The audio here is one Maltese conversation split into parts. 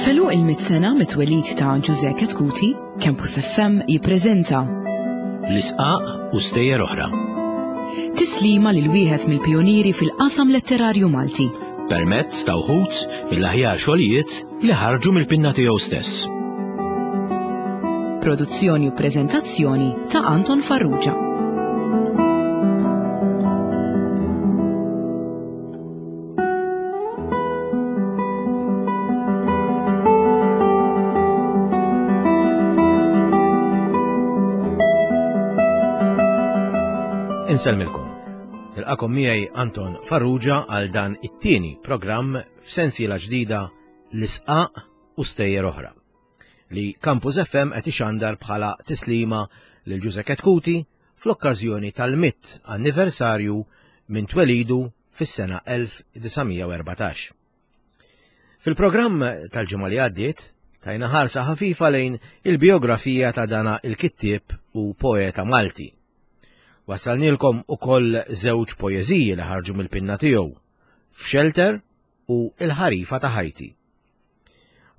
F'għeluq il-mitt sena mit-twelid ta' Ġużè Chetcuti, Campus FM jippreżenta L-Isqaq u Stejjer Oħra. Tislima lil wieħed mill-pijunieri fil-qasam letterarju Malti. Permezz ta' wħud mill-aħjar xogħlijiet li ħarġu mill-pinna tiegħu stess. Produzzjoni u preżentazzjoni ta' Anton Farrugia. Insellmilkom. Nilqakom miegħi Anton Farrugia għal dan it-tieni programm f'sensiela ġdida l-isqaq u stejjer oħra li Campus FM qed ixandar bħala tislima lil Ġuże Ketkuti fl-okkażjoni tal-mitt anniversarju minn twelidu fis-sena 1914. Fil-programm tal-ġimgħa li għaddiet, tajna ħarsa ħafifa lejn il-biografija ta' dana il-kittieb u poeta Malti. Wassalnilkom ukoll żewġ poeżiji li ħarġu mill-pinna tiegħu, F'Shelter u Il-Ħarifa ta' Ħajti.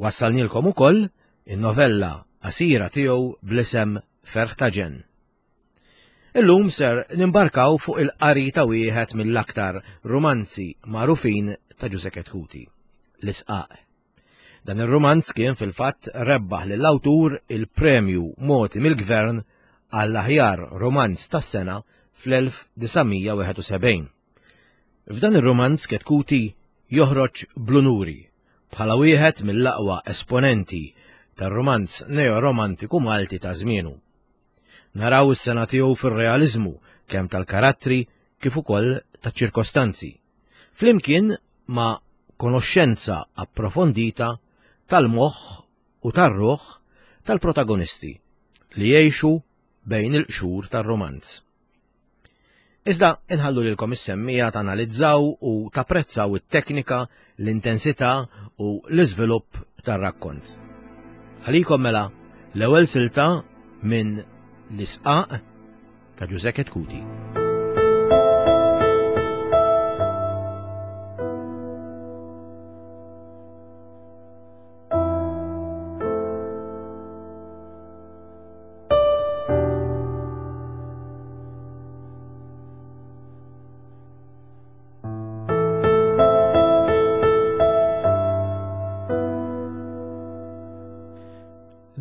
Wassalnilkom ukoll in-novella qasira tiegħu bl-isem Ferħ ta' Ġenn. Illum ser nimbarkaw fuq il-qari ta' wieħed mill-aktar rumanzi magħrufin ta' Ġużè Chetcuti, L-Isqaq. Dan ir-rumanz kien fil-fatt rebbaħ lill-awtur il-premju mogħti mill-Gvern għall-aħjar rumanz tas-sena fl-1971. F'dan ir-rumanz Chetcuti joħroġ bl-unuri bħala wieħed mill-aqwa esponenti tar-rumanz neo-romantiku Malti ta' żmienu. Naraw is-sena tiegħu fir-realiżmu kemm tal-karattri kif ukoll taċ-ċirkostanzi, flimkien ma' konoxxenza approfondita tal-moħħ u tar-ruħ tal-protagonisti li jgħixu bejn il-qxur tar-rumanz. Iżda inħallu lilkom is-semmiegħa tanalizzaw u tapprezzaw it-teknika, l-intensità u l-iżvilupp tar-rakkont. Għalikom mela l-ewwel silta minn L-Isqaq ta' Ġużè Chetcuti.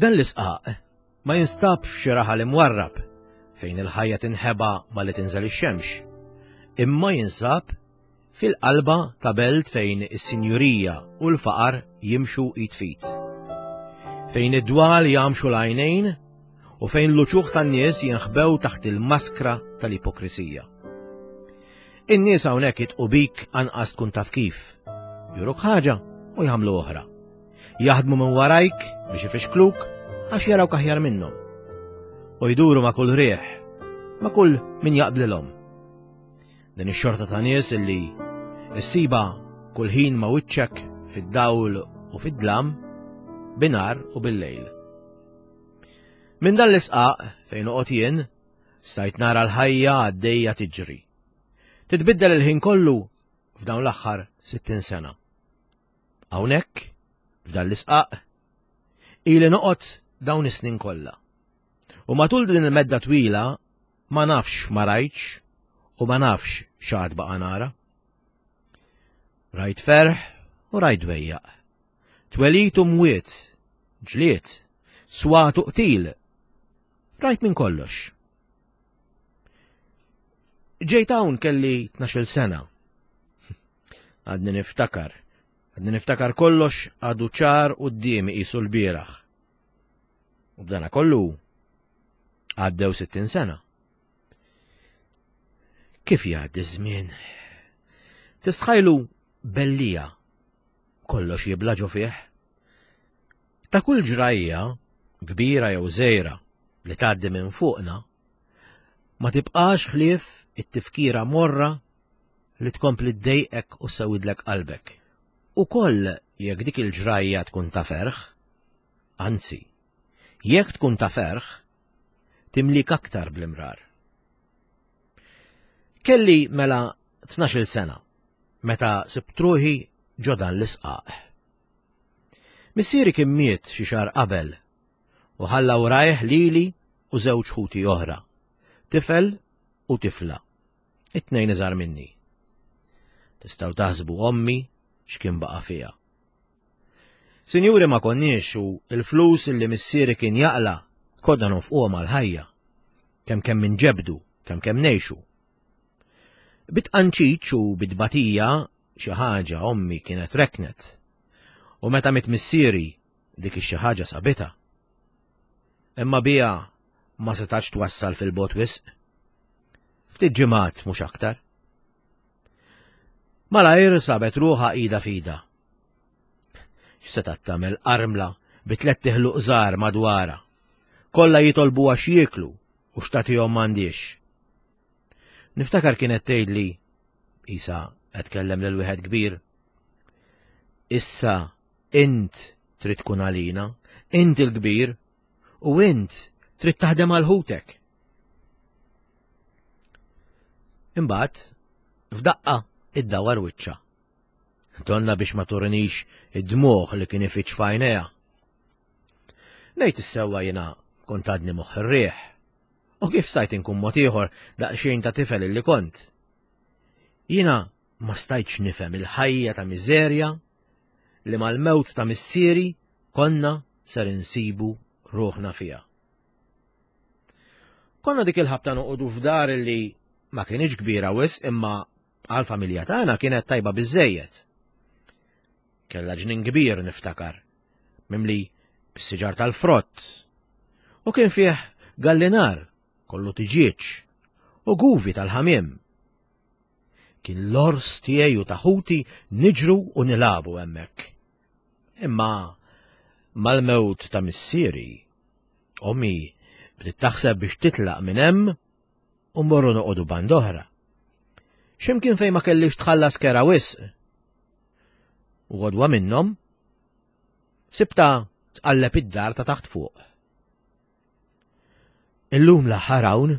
Dan l-isqaq ma jinstabx f'xi raħal imwarrab fejn il-ħajja tinħeba malli tinżel ix-xemx, imma jinsab Fil-qalba ta' belt fejn is-sinjurija u l-faqar jimxu id f'id. Fejn id-dwal jagħmxu l-għajnejn u fejn l-uċuħ tan-nies jinħbew taħt il-maskra tal-ipokrisija. In-nies hawnhekk jitqu bik anqas tkun taf kif. Juruk ħaġa u jagħmlu oħra. Jaħdmu minn warajk biex ifixkluk għax jarawk aħjar minnhom. U jduru ma' kull riħ, ma' kull min jaqblilhom. Din ix-xorta ta' nies illi ssiba kull ħin ma' wiċċek fid-dawl u fid-dlam, binar u bil-lejl. Minn dan l-isqaq fejn noqgħod jien, stajt nara l-ħajja għaddejja tiġri. Titbiddel il-ħin kollu f'dawn l-aħħar 60 sena. Hawnhekk, f'dan l-isqaq, ili noqgħod dawn is-snin kollha. U matul din il-medda twila Ma nafx ma rajtx u ma nafx x'għad baqa' nara. Rajt ferħ u rajt dwejjaq. Twelid u mwiet, ġlied, swat u qtil. Rajt minn kollox. Ġejt hawn kelli 12-il sena. Għadni niftakar. Għadni niftakar kollox għadu ċar quddiemi qisu l-bieraħ. U b'dana kollu Għaddew 60 sena. Kif jgħaddi żmien? Tistħajlu bellija kollox jibla ġo fih. Ta' kull ġrajja, kbira jew żgħira, li tgħaddi minn fuqna, ma tibqax ħlief it-tifkira morra li tkompli ddejqek u sewidlek qalbek. Ukoll jekk dik il-ġrajja tkun ta' ferħ, anzi, Jekk tkun ta' ferħ, timlik aktar bl-imrar. Kelli mela 12-il sena meta sibt ruħi ġo dan l-isqaq. Missieri kien miet xi xahar qabel u ħalla warajh lili u żewġ ħuti oħra, tifel u tifla, it-tnejn iżgħar minni. Tistgħu taħsbu ommi x'kien baqa' fiha. Sinjuri ma konniex u l-flus li missieri kien jaqla' konna nonfquhom għall-ħajja. Kemm kemm inġebbdu, kemm kemm ngħixu. Bit-tqanċiċ u bit-tbatija xi ħaġa ommi kienet reknet. U meta miet missieri dik ix-xi ħaġa sabitha. Imma biha ma setax twassal fil-bogħod wisq. Ftit ġimgħat mhux aktar. Malajr sabet ruħha ida fida. X'setgħet tagħmel armla bi tlett iħluq żgħar madwarha. Kollha jitolbuha x'jieklu u x'tagħtihom m'għandhiex. Niftakar kienet tgħidli isa qed tkellem lil wieħed kbir. Issa int trid tkun għalina, int il-kbir, u int trid taħdem għal ħutek. Imbagħad, f'daqqa iddawar wiċċha. Donna biex ma turinix id-dmugħ li kien ifiċ f'għajnejha. Ngħid is-sewwa jiena kont għadni moħħ ir-riħ. U kif stajt inkun mod ieħor daqsxejn ta' tifel illi kont? Jiena ma stajtx nifhem il-ħajja ta' miżerja li mal-mewt ta' missieri konna ser insibu ruħna fiha. Konna dik il-ħabta noqogħdu f'dar li ma kienx kbira wisq imma għal-familja tagħna kienet tajba biżejjed. Kellha ġnien kbir niftakar, mimli bis-siġar tal-frott. U kien fih gallinar kollu tiġieġ u guvi tal-ħamiem. Kien l-ors tiegħi u ta' ħuti niġru u nilagħbu hemmhekk. Imma mal-mewt ta' missieri, ommi bdiet taħseb biex titlaq minn hemm u mmorru noqogħdu band oħra. X'imkien fejn ma kellix tħallas kera wisq. U għodwa minnhom sibta tqalleb id-dar ta' taħt fuq. Illum l-aħħar hawn,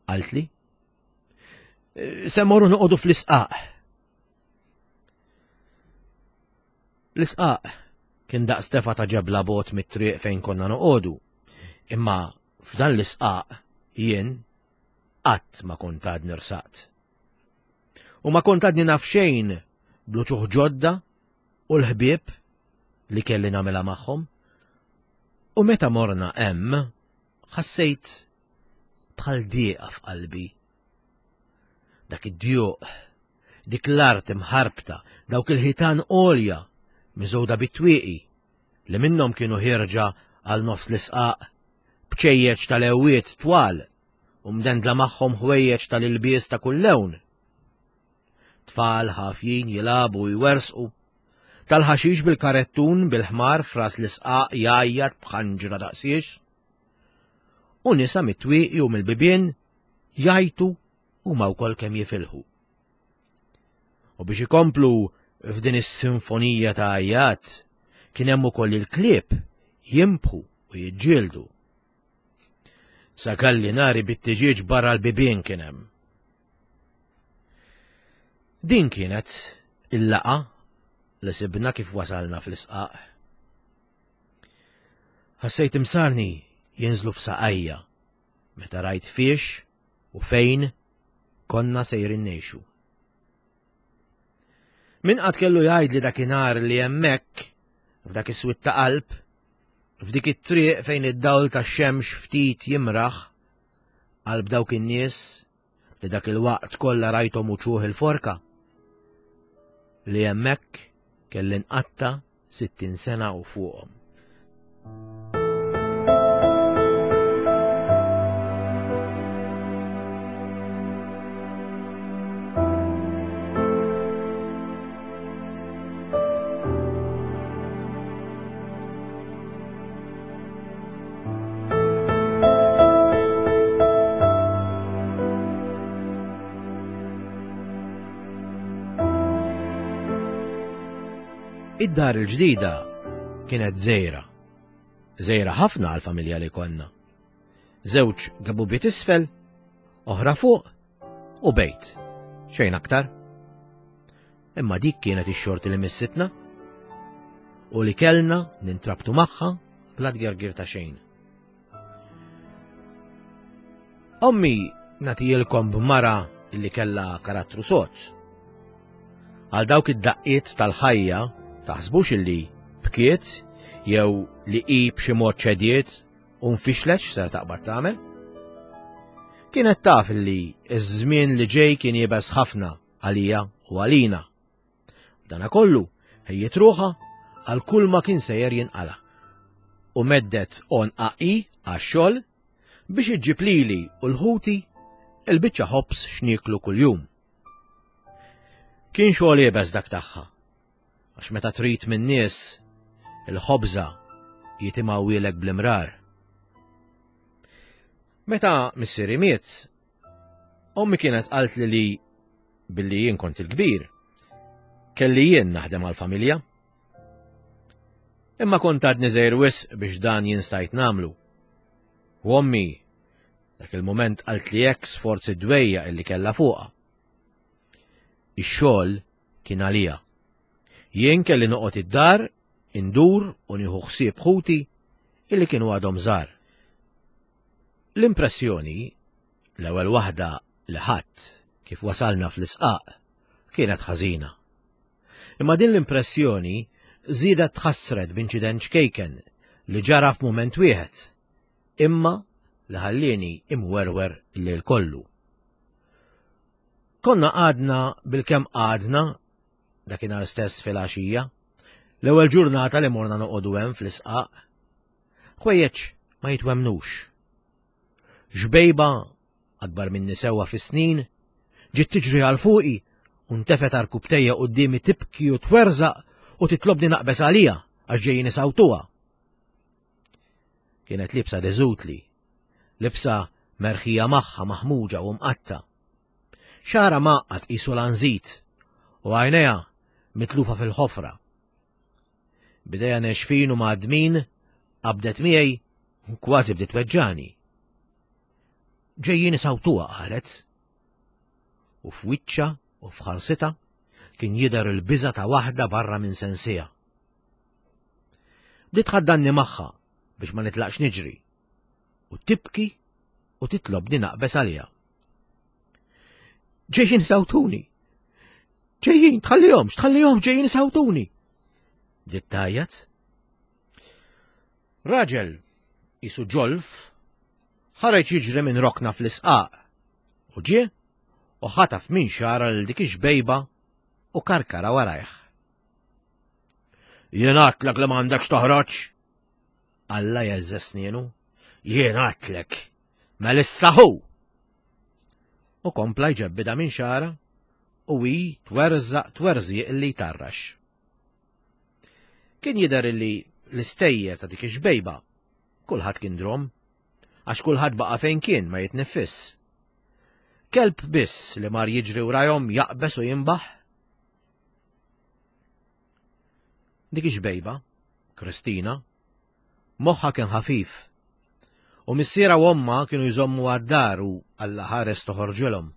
qaltli. Se morru noqogħdu fl-isqaq. L-isqaq kien daqs tefa ta' ġebla bot mit-triq fejn konna noqogħdu. Imma f'dan l-isqaq jien qatt ma kont għadni rsaqt. U ma kont għadni naf xejn bl-uċuħ ġodda u l-ħbieb li kelli nagħmilha magħhom. U meta morna hemm, ħassejt bħal dieqa f'qalbi. Dak id-djuq, dik l-art imħarbta, dawk il-ħitan għolja miżgħuda bit-twieqi li minnhom kienu ħierġa għal nofs l-isqaq, bċejjeċ tal-ewwiet twal u mdendla magħhom ħwejjeġ tal-ilbies ta' kull lewn. Tfal ħafjin jilagħbu u jwersqu. Tal-ħaxix bil-karettun bil-ħmar fras l-isqaq jgħajjat b'ħanġra daqsiex. U nisa mit-twieqi u mill-bibien jgħajtu huma wkoll kemm jifilħu. U biex ikomplu f'din is-sinfonija ta' għajjat, kien hemm ukoll il-klieb jimbħu u jiġġieldu. Sa kalli nari bit-tiġieġ barra l-bibien kien hemm. Din kienet il-laqa li sibna kif wasalna fl-isqaq. Ħassejt imsarni jinżlu f'saqajja meta rajt fiex u fejn konna sejrin ngħixu. Min qatt kellu jgħid li dakinhar li hemmhekk, f'dak is-swit ta' qalb, f'dik it-triq fejn id-dawl tax-xemx ftit jimraħ, qalb dawk in-nies li dak il-waqt kollha rajthom uċuħ il-forka, li hemmhekk kelli nqatta' 60 sena u fuqhom. Id-dar il-ġdida kienet żgħira. Żgħira ħafna għall-familja li konna. Żewġ gabubiet isfel, oħra fuq u bejt. Xejn aktar. Imma dik kienet ix-xorti li missitna. u li kellna nintrabtu magħha bla tgergir ta' xejn. Ommi nagħtijilkom b'mara li kellha karattru sod. Għal dawk id-daqqiet tal-ħajja taħsbux illi bkiet jew li hi b'xi mod ċediet u nfixlet x'ser taqbad tagħmel. Kienet taf li ż-żmien li ġej kien iebes ħafna għalija u għalina. Dana kollu ħejjiet ruħha għal kull ma kien sejjer jinqala. U meddet għonqha hi għax-xogħol biex iġġib lili u l-ħuti il-biċċa ħobż x'nieklu kuljum. Kien xogħol iebes dak tagħha, għax meta trid min-nies il-ħobża jitimgħuhielek bl-imrar. Meta missieri miet, ommi kienet qaltli li billi jien kont il-kbir, kelli jien naħdem għall-familja. Imma kont għadni żgħir wisq biex dan jien stajt nagħmlu. U ommi, dak il-mument qaltli hekk sforz id-dwejja illi kellha fuqha. Ix-xogħol kien għalija. Jien kelli noqgħod id-dar, indur u nieħu ħsieb ħuti illi kienu għadhom żgħar. L-impressjoni, l-ewwel waħda li ħadt kif wasalna fl-isqaq, kienet ħażina. Imma din l-impressjoni żiedet tħassret b'inċident ċkejken li ġara f'mument wieħed, imma li ħallieni imwerwer il-lejl kollu. Konna għadna bilkemm għadna dakinhar stess filgħaxija, l-ewwel ġurnata li morna noqogħdu hemm fl-isqaq. Ħwejjeġ ma jitwemmnux. Xbejba, akbar minni sewwa fis-snin, ġiet tiġri għal fuqi u ntefgħet għarkupptejja quddiemi tibki u twerżaq u titlobni naqbeż għaliha għax ġejjin isawtuha. Kienet libsa deżutli, libsa merħija magħha maħmuġa u mqatta'. Xagħarha mgħaqqad qisu lanżit u għajnejha mitlufa fil-ħofra. B'idejha nexfin u mgħaddmin qabdet miegħi u kważi bdiet tweġġani. Ġejjin isawtuha qalet. U f'wiċċha u f'ħarsitha kien jidher il-biża' ta' waħda barra minn sensiha. Bdiet tħaddanni magħha biex ma nitlaqx niġri u tibki u titlobni naqbeż għaliha. Ġejjin sawtuni! Ġejjin, tħallihomx, tħallihomx, ġejjin sawtuni! Bdiet tgħajjat. Raġel jisu ġolf ħareġ jiġri minn rokna fl-isqaq u ġie u ħataf minn xara lil dik ix-xbejba u karkara warajh. Jien għadtlek li m'għandekx toħroġ! Alla jeżże snienu. Jien għadtlek! Melissa hu! U kompla jġebbida minn xara u hi twerżaq twerżiq li jtarrax. Kien jidher li l-istejjer ta' dik ix-xbejba kulħadd kien drom, għax kulħadd baqa' fejn kien ma jitniffiss. Kelb biss li mar jiġri wrajhom jaqbeż u jinbaħ. Dik ix-xbejba, Kristina, Moħħha kien ħafif. U missierha u ommha kienu jżommu għad-dar u Alla ħares toħorġilhom.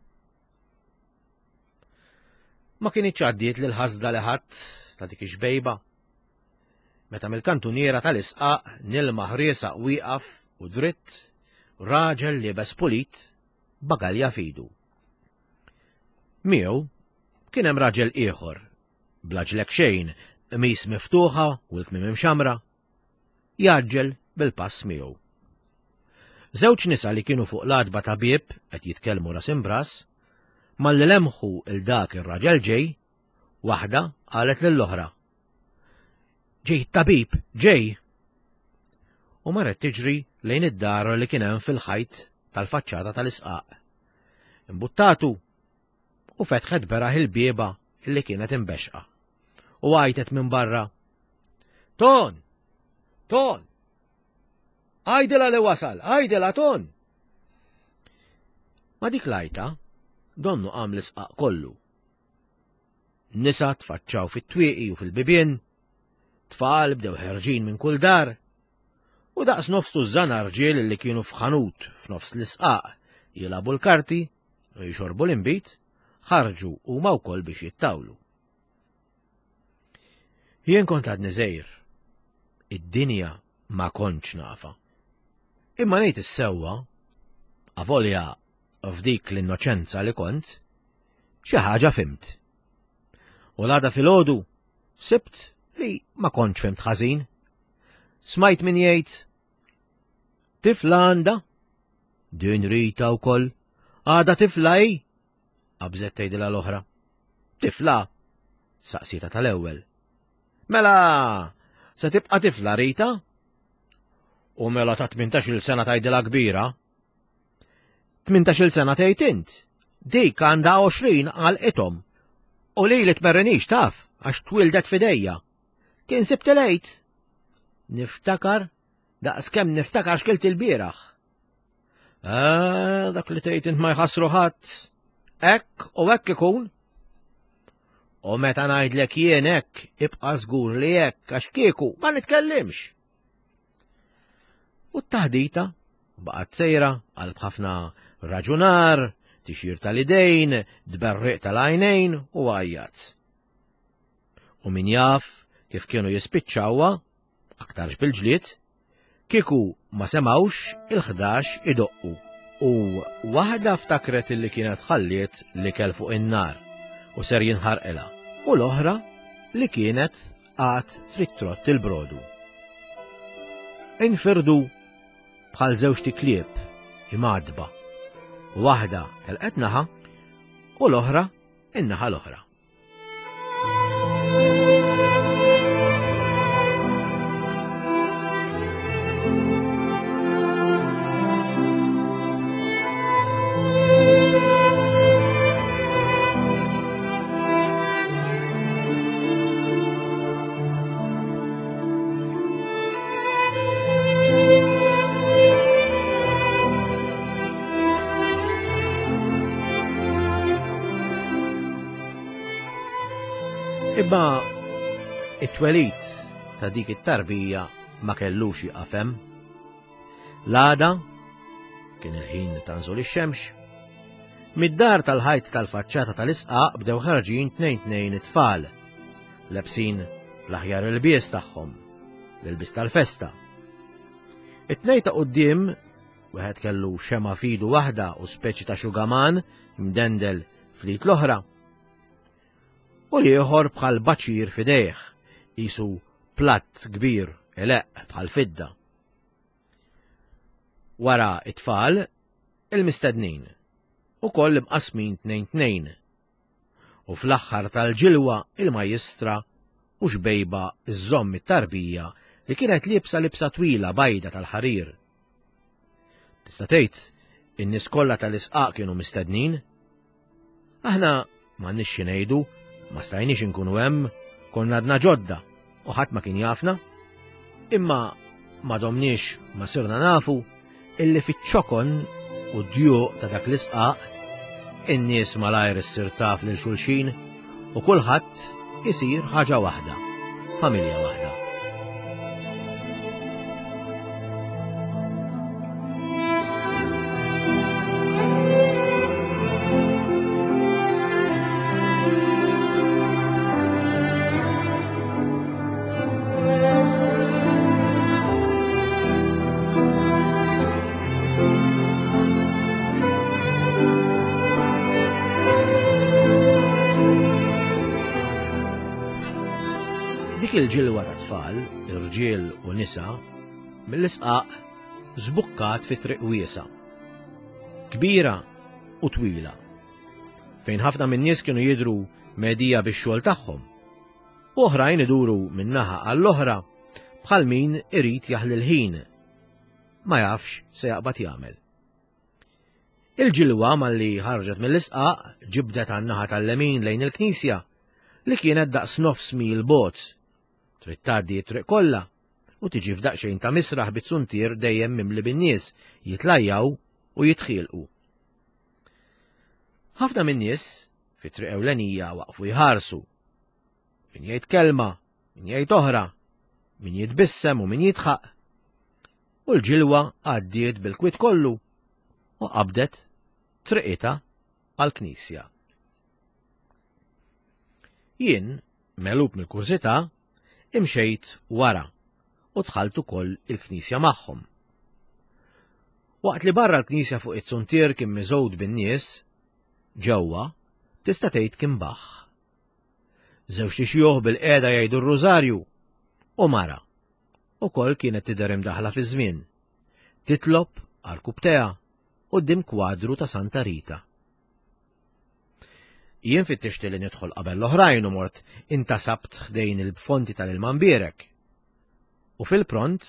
Ma kinitx għaddiet lil ħasda li ħadd ta' dik ix-xbejba. Meta mill-kantuniera tal-isqaq nilmaħ riesaq wieqaf u dritt raġel liebes pulit bagalja f'idu. Miegħu kien hemm raġel ieħor bla ġlek xejn, qmis miftuħa u l-kmiem imxammra, jgħaġġel bil-pass miegħu. Żewġ nisa li kienu fuq l-għatba ta' bieb qed jitkellmu ras imbras, malli lemħu il dak ir-raġel ġej, waħda qalet lill-oħra. Ġej tabib, ġej! U marret tiġri lejn id-dar li kien hemm fil-ħajt tal-faċċata tal-isqaq. Imbuttatu u fetħet beraħ il-bieba li kienet imbexqa. U għajtet minn barra. Ton! Ton! Għajdila li wasal, għajdila ton! Ma dik lajta, donnu qam l-isqaq kollu. Nisa tfaċċaw fit-twieqi u fil-bibien, tfal bdew ħerġin minn kull dar, u daqs nofs tużżana rġiel li kienu f'ħanut f'nofs l-isqaq jilagħbu l-karti u jixorbu l-inbid, ħarġu huma wkoll biex jittawlu. Jien kont għadni żgħir. Id-dinja ma kontx nafa. Imma ngħid is-sewwa, avolja f'dik l-innoċenza li kont, xi ħaġa fimt. U l-għada filgħodu sibt li ma kontx fimt ħażin. Smajt min jgħid Tifla għandha? Din Rita wkoll. Għada tifla hi? Qabżet tgħidilha l-oħra. Tifla? Saqsita tal-ewwel. Mela, se tibqa' tifla Rita? U mela ta' 18-il sena tgħidilha kbira. 18-il sena tgħid int. Dik għandha 20 għal ithom. U li li tmerrinix taf għax twildet fidejja. Kien sibt il-għid. Niftakar daqskemm niftakar x'kilt il-bieraħ. Eh, dak li tgħid int ma jħassru ħadd. Hekk u hekk ikun. U meta ngħidlek jien hekk, ibqa' żgur li hekk għax kieku ma nitkellimx. U t-taħdita baqgħet sejra għal b'ħafna raġunar, tixir tal-idejn, dberriq tal-għajnejn u għajjat. U min jaf kif kienu jispiċċawha, aktarx bil-ġlied, Kieku ma semgħux il-ħdax idoqqu u waħda ftakret illi kienet ħalliet l-ikel fuq in-nar u ser jinħarqilha u l-oħra li kienet għad trid trott il-brodu. Infirdu bħal żewġt iklieb imgħaddba. Waħda telqet naħa u l-oħra in-naħa l-oħra. Imma it-twelid ta' dik it-tarbija ma kellux jieqaf hemm. L-għada, kien il-ħin ta' nżul ix-xemx, mid-dar tal-ħajt tal-faċċata tal-isqaq bdew ħarġin tnejn tnejn it-tfal, lebsin l-aħjar ilbies tagħhom, l-ilbies tal-festa. It-tnejn ta' quddiem Wieħed kellu xema f'idu waħda u speċi ta' xugaman imdendel fl-id l-oħra. U l-ieħor bħal baċir f'idejh, qisu platt kbir ileqq bħal fidda. Wara it-tfal, il-mistednin, ukoll imqasmin tnejn tnejn, U fl-aħħar tal-ġilwa il-majjistra u xbejba żżomm it-tarbija li kienet liebsa libsa twila bajda tal-ħarir. Tista' tgħid in-nies kollha tal-isqaq kienu mistednin? Aħna m'għandniex xi ngħidu, ma stajniex inkunu hemm, konna għadna ġodda u ħadd ma kien jafna. Imma ma domniex ma sirna nafu illi fiċ-ċokon u d-djuq ta' dak l-isqaq in-nies malajr issir taf lil xulxin u kulħadd isir ħaġa waħda, familja waħda. Dik il-ġilwa ta' tfal, irġiel u nisa, mill-isqaq żbukkat fi triq wiesa. Kbira u twila. Fejn ħafna min-nies kienu jidhru medija bix-xogħol tagħhom. U oħrajn iduru minn naħa għall-oħra bħal min irid jaħli l-ħin. Ma jafx se jaqbad jagħmel. Il-ġilwa malli ħarġet mill-isqaq ġibdet għan-naħa tal-lemin lejn il-knisja li kienet daqs nofs mil bogħod. Trid tgħaddi t-triq kollha u tiġi f'daqsxejn ta' misraħ bit-suntier dejjem mimli bin-nies jitlajjaw u jitħielqu. Ħafna min-nies fit-triq ewlenija waqfu jħarsu. Min jgħid kelma, min jgħid oħra, min jitbissem u min jidħaq. U l-ġilwa għaddiet bil-kwiet kollu u qabdet triqitha għall-knisja. Jien, megħlub mill-kurżità, imxejt wara u u dħalt ukoll il-knisja magħhom. Waqt li barra l-knisja fuq it-suntier kien miżgħud bin-nies, ġewwa tista' tgħid kien baħħ. Żewġt ixjuħ bil-qiegħda jgħidu r-rużarju u mara ukoll kienet tidher imdaħħla fiż-żmien, titlob għarkupptejha quddiem kwadru ta' Santa Rita. Jien fittixt li nidħol qabel l-oħrajn u mort intasabt ħdejn il-fonti tal-ilma mbierek. U fil-pront,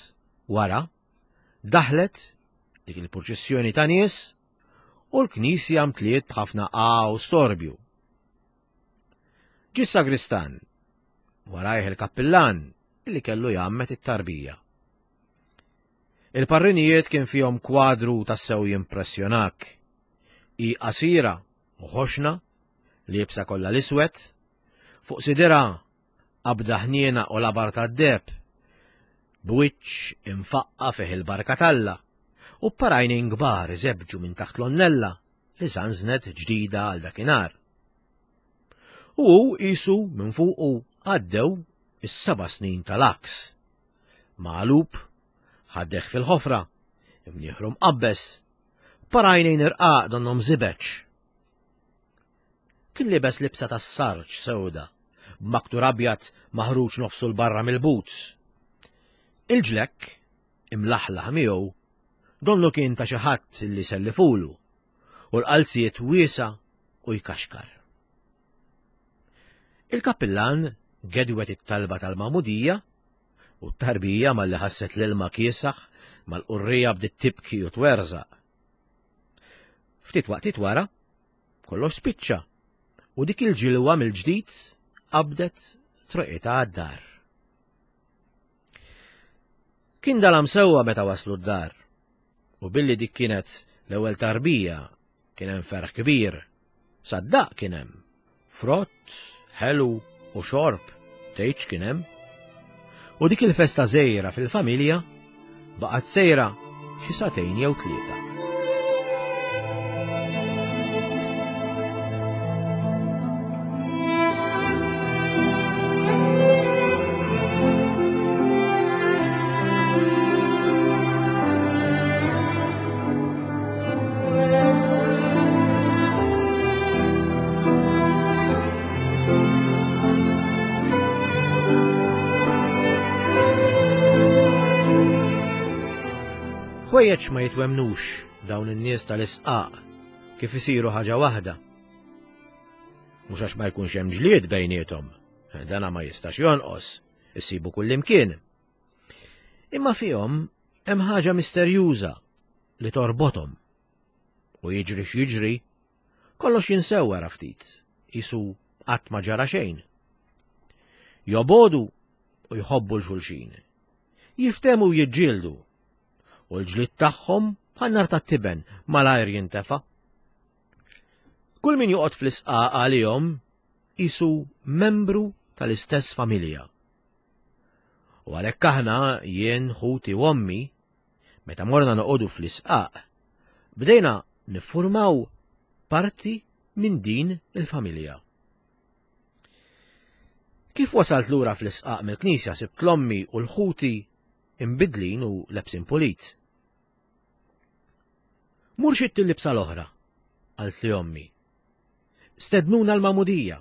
wara, daħlet dik il-purċissjoni ta' nies u l-knisja mtliet b'ħafna għa u storbju. Ġie s-sagristan, warajh il-kappillan li kellu jgħammed it-tarbija. Il-parrinijiet kien fihom kwadru tassew jimpressjonak. Hi qasira u ħoxna, liebsa kollha l-iswed, fuq sidirha qabda ħniena u labar tad-deheb, b'wiċċ imfaqqa' fih il-barka t'Alla, u b'parajnejn kbar iżebbġu minn taħt l-onnella li żanżnet ġdida għal dakinhar. U hu qisu minn fuqu għaddew is-seba' snin tal-għaks. Magħlub, ħaddeh fil-ħofra, imnieħru mqabbeż, parajnejn irqaq donnhom żibeġ. Kien libes libsa tas-sarġ sewda, b'maktur abjad maħruġ nofsu 'l barra mill-boots. Il-ġlekk, imlaħlaħ miegħu, donnu kien ta' xi ħadd li sellifulu, u l-qalziet wiesa' u jkaxkar. Il-kappillan gedwet it-talba tal-magħmudija u t-tarbija malli ħasset l-ilma kiesaħ mal-qurrija bdiet tibki u twerżaq. Ftit waqtiet wara, kollox spiċċa u dik il-ġilwa mill-ġdid qabdet troqitha għad-dar. Kien dalam sewwa meta waslu d-dar u billi dik kienet l-ewwel tarbija kien hemm ferħ kbir. Saddaq kien hemm. Frott, ħelu u xorb, tgħidx kien hemm. U dik il-festa żgħira fil-familja baqgħet sejra xi sagħtejn jew tlieta. Ħwejjeġ ma jitwemnux dawn in-nies tal-isqaq kif isiru ħaġa waħda. Mhux għax ma jkunx hemm ġlied bejniethom, dana ma jistax jonqos, issibu kullimkien. Imma fihom hemm ħaġa misterjuża li torbothom. U jiġri x'jiġri, kollox jinsew wara ftit, qisu qatt ma ġara xejn. Jobodu u jħobbu l-xulxin. Jiftemu u jiġġieldu. U l-ġlied tagħhom bħal nar tat-tiben malajr jintefa'. Kull min joqgħod fl-isqaq għalihom qisu membru tal-istess familja. U għalhekk aħna, jien, ħuti u ommi, meta morna noqogħdu fl-isqaq, bdejna niffurmaw parti minn din il-familja. Kif wasalt lura fl-isqaq mill-knisja sibt l-ommi u l-ħuti imbidlin u lebsin pulit. Mur xitt il-libsa l-oħra, qaltli ommi. Stednuna l-magħmudija.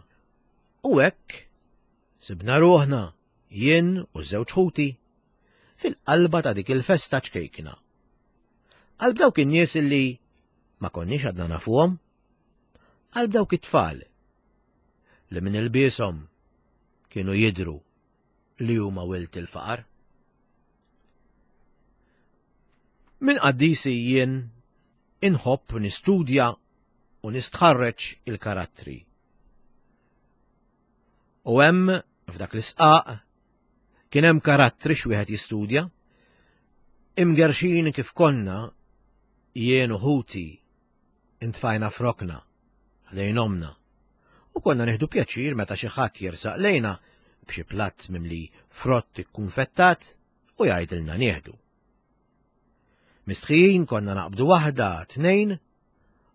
U hekk sibna ruħna, jien u ż-żewġ ħuti, fil-qalba ta' dik il-festa ċkejkna. Qalb dawk in-nies illi ma konniex għadna nafuhom, qalb dawk it-tfal li minn ilbieshom kienu jidhru li huma wild il-faqar. Minn qaddisi jien inħobb nistudja u nistħarreġ il-karattri. U hemm f'dak l-isqaq kien hemm karattri x'wieħed jistudja. Imgerxin kif konna jien u ħuti intfajna frokna ħdejn omna u konna nieħdu pjaċir meta xi ħadd jersaq lejna b'xi platt mimli frott ikkunfettat u jgħidilna nieħdu. Mistħijin konna naqbdu waħda, tnejn,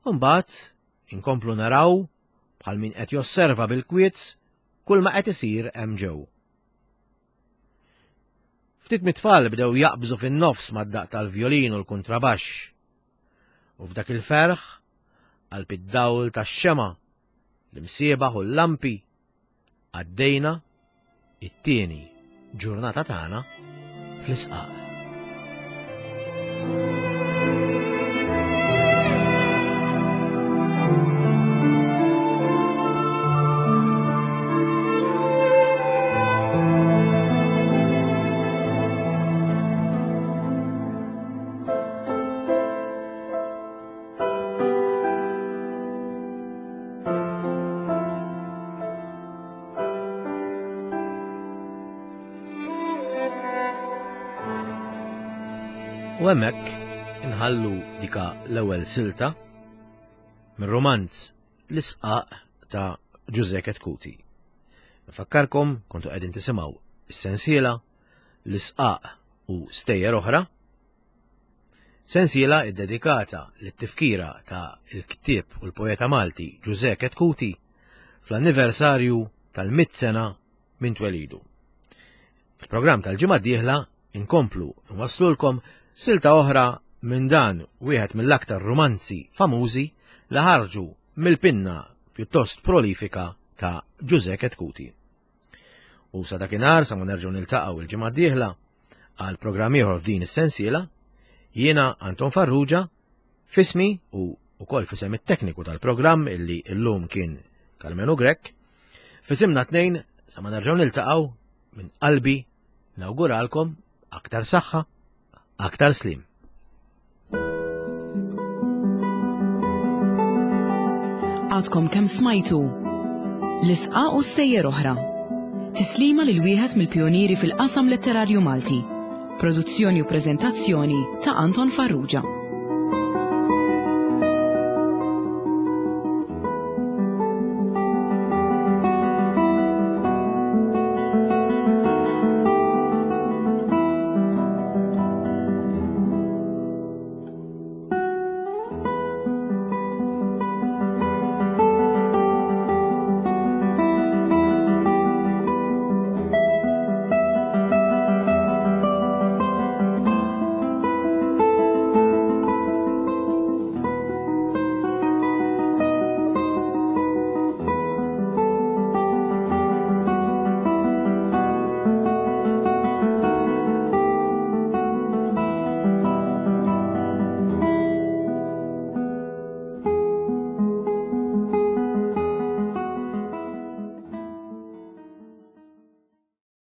u mbagħad inkomplu naraw bħal min qed josserva bil-kwiet kull ma qed isir hemm ġew. Ftit mit-tfal bdew jaqbżu fin-nofs mad-daqq tal-vjolin u l-kuntrabaxx. U f'dak il-ferħ, qalb id-dawl tax-xemgħa, l-imsiebaħ u l-lampi, għaddejna it-tieni ġurnata tagħna fl-isqaq. U hemmhekk inħallu dika l-ewwel silta mir-romanz L-Isqaq ta' Ġużè Ketkuti. Nfakkarkom kontu qegħdin tisimgħu is-sensiela L-Isqaq u Stejjer Oħra Sensiela ddedikata lit-tifkira ta' l-ktieb u l-poeta Malti Ġużè Ketkuti fl-anniversarju tal-mitt sena minn twelidu. Fil-programm tal-ġimgħa d-dieħla inkomplu nwasslulkom silta oħra minn dan wieħed mill-aktar rumanzi famużi li ħarġu mill-pinna pjuttost prolifika ta' Ġużè Ketkuti. U sa dakinhar sa ma nerġgħu niltaqgħu il-ġimgħa d-dieħla għal programm ieħor f'din is-sensiela, jiena Anton Farrugia fismi u ukoll fisem it-tekniku tal-programm illi llum kien Karmenu Grech, fisimna tnejn sa ma nerġgħu niltaqgħu minn qalbi nawguralkom aktar saħħa, aktar slim. Għadkom kemm smajtu l-isqa u stejjer oħra. Tislima lil wieħed mill-pjonieri fil-qasam letterarju Malti. Produzzjoni u preżentazzjoni ta' Anton Farrugia.